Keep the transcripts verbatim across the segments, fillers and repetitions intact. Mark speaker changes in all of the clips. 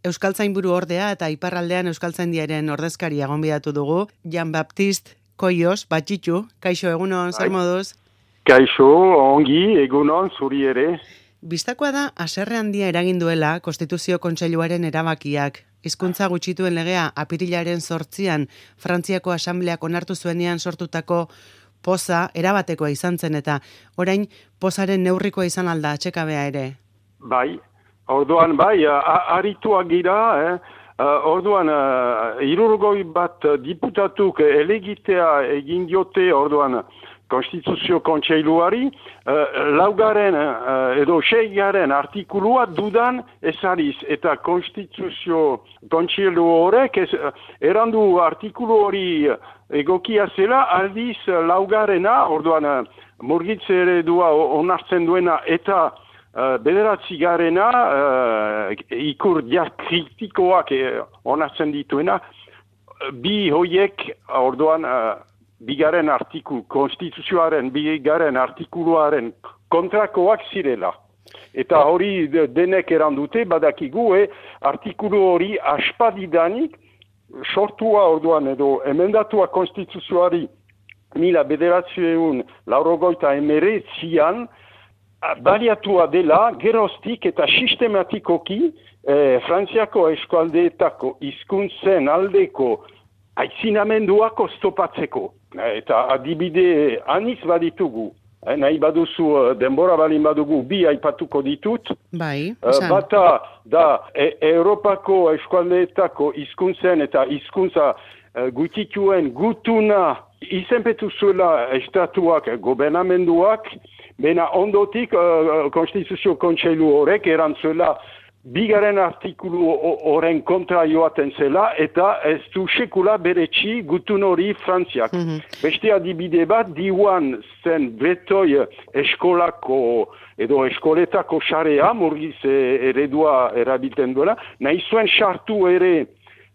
Speaker 1: Euskaltzainburu ordea eta iparraldean Euskaltzaindiaren ordezkaria gonbidatu dugu, Jan Baptist Koios, Batxitu, kaixo egunon, zer moduz?
Speaker 2: Kaixo, ongi, egunon, zuri ere.
Speaker 1: Bistakoa da, haserre handia eragin duela Konstituzio Kontseiluaren erabakiak. Hizkuntza gutxituen legea apirilaren zortzian Frantziako Asambleak onartu zuenean sortutako poza erabatekoa izan zen eta orain pozaren neurrikoa izan alda atxekabea ere.
Speaker 2: Bai, orduan bai, arituak gira, eh? Uh, orduan, uh, irurgoi bat diputatuk elegitea egin diote, orduan, Konstituzio Kontseiluari, uh, laugaren uh, edo seigaren artikulua dudan ezariz, eta Konstituzio Kontseilu horrek ez, uh, erandu artikulu hori egokia zela, aldiz laugarena, orduan, uh, murgitze eredua onartzen duena, eta Uh, bederatzi garena, uh, ikur diakritikoak eh, onartzen dituena, bi hoiek, orduan, uh, bigaren artikulu, konstituzioaren, bigaren artikuluaren kontrakoak zirela. Eta hori denek erandute, badakigu, eh, artikulu hori aspadidanik, sortua orduan edo emendatua konstituzioari mila bederatziun laurogoita emeretzian, baliatua dela, geroztik eta sistematikoki eh, Frantziako eskualdeetako hizkuntzen aldeko aitzinamenduak oztopatzeko. Eta adibide anitz baditugu. Eh, nahi baduzu denbora balin badugu bi aipatuko ditut.
Speaker 1: Bai,
Speaker 2: uh, bata da e Europako eskualdeetako hizkuntzen eta hizkuntza uh, gutituen gutuna izenpetu zuela estatuak, gobernamenduak, bena ondotik uh, Konstituzio Kontseilu horrek erantzuela bigaren artikulu horren kontra joaten zela eta ez du sekula beretsi gutun hori Frantziak. Mm-hmm. Beste adibide bat, diuan zen betoi eskolako edo eskoletako xarea, murgiz eredua erabiltzen duela, nahi zuen sartu ere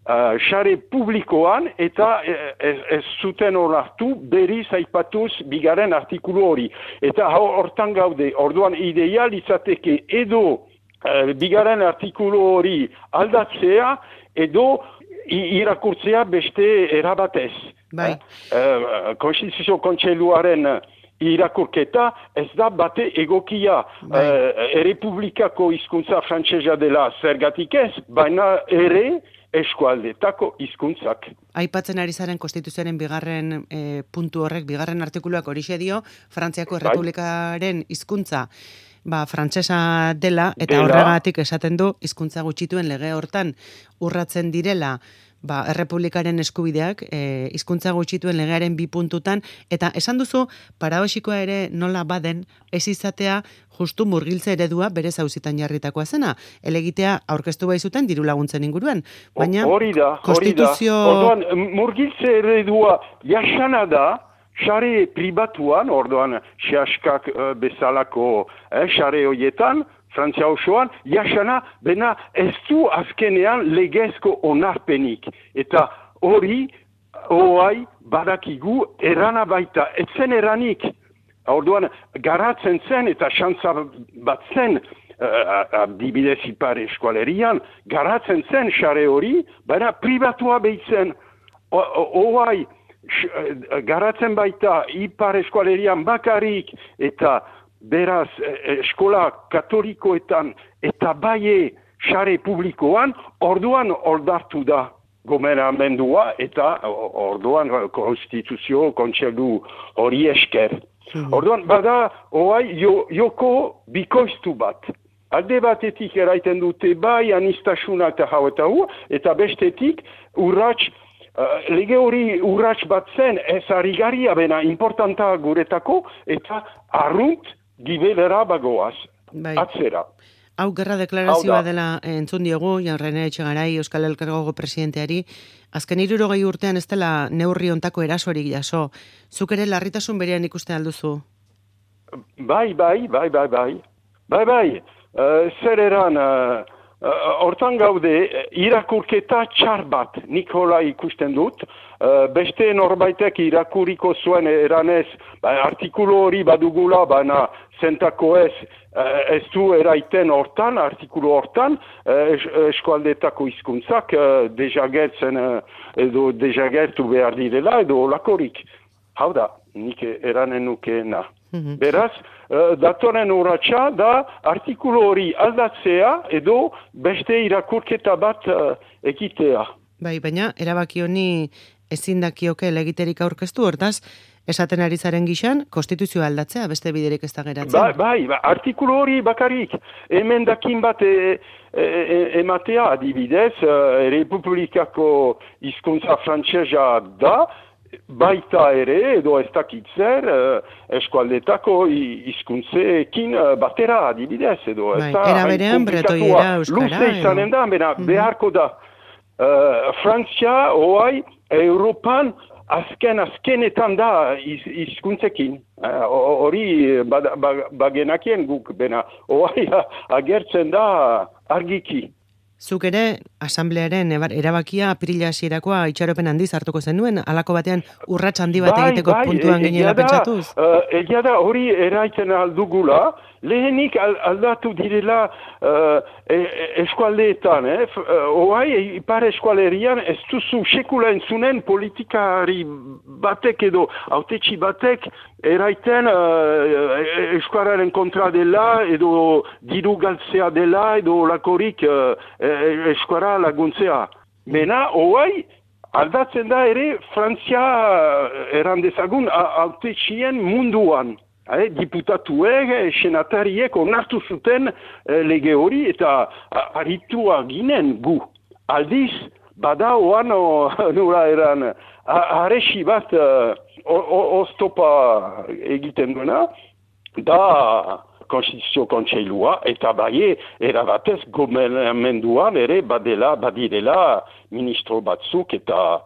Speaker 2: Uh, xare publikoan eta ez, ez zuten onartu berriz aipatuz bigaren artikulu hori. Eta hortan gaude, orduan ideal izateke edo uh, bigaren artikulu hori aldatzea edo irakurtzea beste erabatez.
Speaker 1: Bai.
Speaker 2: Uh, Konstituzio Kontseiluaren irakurketa ez da bate egokia. Bai. Uh, Errepublikako hizkuntza frantsesa dela zergatik ez, baina ere eskualdetako hizkuntzak.
Speaker 1: Aipatzen ari zaren Konstituzioaren bigarren e, puntu horrek, bigarren artikuluak horixe dio, Frantziako Errepublikaren hizkuntza ba, frantsesa dela, eta dela. Horregatik esaten du, hizkuntza gutxituen lege hortan urratzen direla, ba, Errepublikaren eskubideak, e, hizkuntza gutxituen legearen bi puntutan, eta esan duzu, paradoxikoa ere nola baden, ez izatea justu murgiltze eredua bere zauzitan jarritakoa zena. Elegitea aurkeztu bai zuten diru laguntzen inguruan. Baina,
Speaker 2: hori da,
Speaker 1: konstituzio...
Speaker 2: Orduan, murgiltze eredua jasana da, xare pribatuan, orduan, xaskak uh, bezalako eh, xare horietan, Frantzia osoan, jasana, bena ez du azkenean legezko onarpenik. Eta hori, oai, badakigu, erana baita, etzen eranik. Orduan, garatzen zen eta xantza bat zen, uh, adibidez ipar eskualerian, garatzen zen xare hori, baina pribatua behitzen. Oai, garatzen baita ipar eskualerian bakarik eta beraz, eskola katolikoetan eta baie xare publikoan, orduan oldartu da gobernamendua eta orduan Konstituzio Kontseilu hori esker. Mm-hmm. Orduan, bada, oai, jo, joko bikoiztu bat. Alde batetik eraiten dute bai anistasuna eta hau eta hu, eta bestetik urrats, uh, lege hori urrats bat zen ez harrigarria bena importanta guretako, eta arrunt gibelera bagoaz, bai. Atzera.
Speaker 1: Hau gerra deklarazioa dela entzun diogu, Jan Rene Etxegarai, Euskal Elkargoko presidenteari, azken hirurogei urtean ez dela neurri ontako erasorik jaso. Zuk ere larritasun berean ikuste alduzu?
Speaker 2: Bai, bai, bai, bai, bai. Bai, bai. Uh, zer eran, uh, hortan gaude, irakurketa txar bat, nik hola ikusten dut, uh, beste norbaitek irakuriko zuen eranez, ba, artikulu hori badugula, baina zentako ez, uh, ez du eraiten hortan, artikulu hortan, uh, es, eskualdetako hizkuntzak uh, dejagertzen uh, edo dejagertu behar direla edo olakorik. Hau da, nik eranen nukeena. Mm-hmm. Beraz, uh, datoren urratsa da artikulu hori aldatzea edo beste irakurketa bat uh, egitea.
Speaker 1: Bai, baina erabaki honi ezin dakioke legiterik aurkeztu, hortaz, esaten ari zaren gixan, konstituzioa aldatzea, beste biderik ez da geratzen.
Speaker 2: Bai, bai, ba, artikulu hori bakarik, emendakin bat e, e, e, ematea adibidez, uh, Republikako hizkuntza frantsesa da, baita ere, edo ez dakit zer, uh, eskualdetako hizkuntzeekin uh, batera adibidez, edo
Speaker 1: bai, era berean, bretoiera, euskara.
Speaker 2: Luze izanen da, bera, mm-hmm. beharko da. Uh, Frantzia, oai, Europan, azken, azkenetan da hizkuntzekin. Hori uh, bagenakien guk, bena, oai, agertzen da argiki.
Speaker 1: Zuk ere, asamblearen erabakia apirila hasierakoa itxaropen handiz hartuko zenuen, halako batean urrats handi bat
Speaker 2: bai,
Speaker 1: egiteko
Speaker 2: bai,
Speaker 1: puntuan
Speaker 2: e,
Speaker 1: ginela pentsatuz?
Speaker 2: Uh, egia da hori eraiten aldugula, lehenik aldatu direla uh, e, eskualdeetan, eh? Oai, ipar eskualerian ez duzu sekula entzunen politikari batek edo autetxi batek eraiten uh, eskuararen kontra dela edo diru galtzea dela edo lakorik uh, eskuara laguntzea. Mena, oai, aldatzen da ere Frantzia erandezagun autetxien munduan. Eh, diputatuek, senatariek onartu zuten eh, lege hori eta aritua ginen gu. Aldiz, bada oan nura eran, aresi bat uh, oztopa egiten duena, da Konstituzio Kontseilua, eta bai erabatez gobernamenduan ere badela, badirela ministro batzuk eta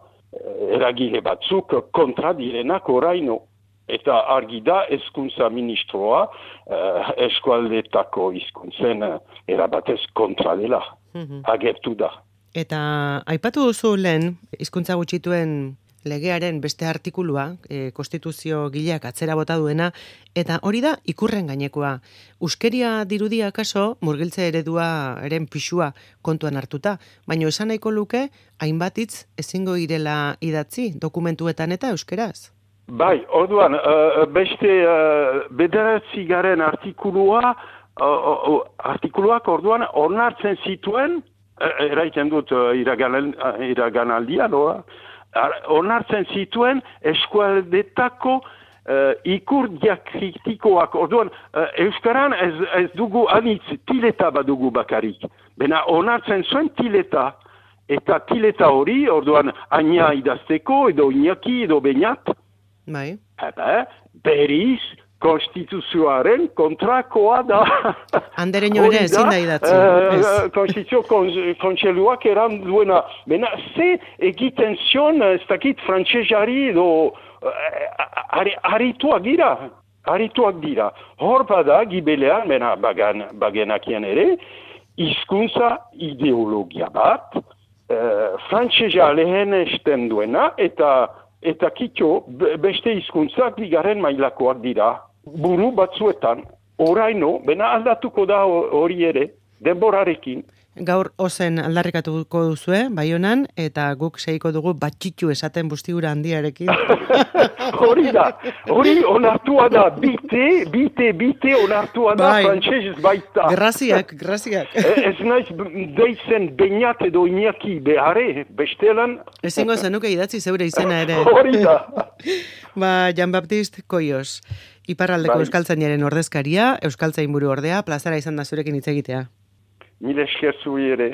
Speaker 2: eragile batzuk kontra direnak oraino. Eta argi da hezkuntza ministroa uh, eskualdetako hizkuntzen uh, erabatez kontra dela. Mm-hmm. Agertu da.
Speaker 1: Eta aipatu duzu lehen hizkuntza gutxituen legearen beste artikulua, e, konstituzio gileak atzera bota duena, eta hori da ikurren gainekoa. Euskeria dirudia kaso, murgiltze eredua eren pixua kontuan hartuta, baina esan nahiko luke, hainbat hitz ezingo irela idatzi dokumentuetan eta euskeraz.
Speaker 2: Bai, orduan, uh, beste uh, bederatzi garen artikulua, uh, uh, artikuluak orduan onartzen zituen, uh, eraiten dut uh, iraganaldian, uh, onartzen zituen eskualdetako uh, ikur diakritikoak. Orduan, uh, euskaran ez, ez dugu anitz tileta badugu bakarik. Bena onartzen zuen tileta. Eta tileta hori, orduan, aina idazteko, edo inaki, edo beñat,
Speaker 1: bai.
Speaker 2: Eta, beriz, konstituzioaren kontrakoa da.
Speaker 1: Andereño ere ezin da idatzi.
Speaker 2: Uh, Konstituzio Kontseiluak eran duena. Bena, ze egiten zion, ez dakit frantsesari edo uh, arituak dira. Arituak dira. Hor bada, gibelean, bena, bagan, bagenakien ere, hizkuntza ideologia bat, uh, frantsesa lehen esten duena, eta Eta kitxo, beste hizkuntzak bigarren mailakoak dira. Buru batzuetan, oraino, bena aldatuko da hori ere, denborarekin.
Speaker 1: Gaur ozen aldarrikatuko duzue, Baionan, eta guk seiko dugu batxitxu esaten bustigura handiarekin.
Speaker 2: Hori da, hori onartua da, bite, bite, bite onartua da, bai. Frantsesez baita.
Speaker 1: Graziak, graziak.
Speaker 2: Ez naiz deitzen beñat edo inaki behare, bestelan.
Speaker 1: Ezingo zenuke idatzi zeure izena ere.
Speaker 2: Hori da.
Speaker 1: Ba, Jean-Baptiste Koios, iparraldeko bai. Euskaltzainaren ordezkaria, Euskaltzain buru ordea, plazara izan da zurekin hitz egitea.
Speaker 2: Mil esker zuri ere.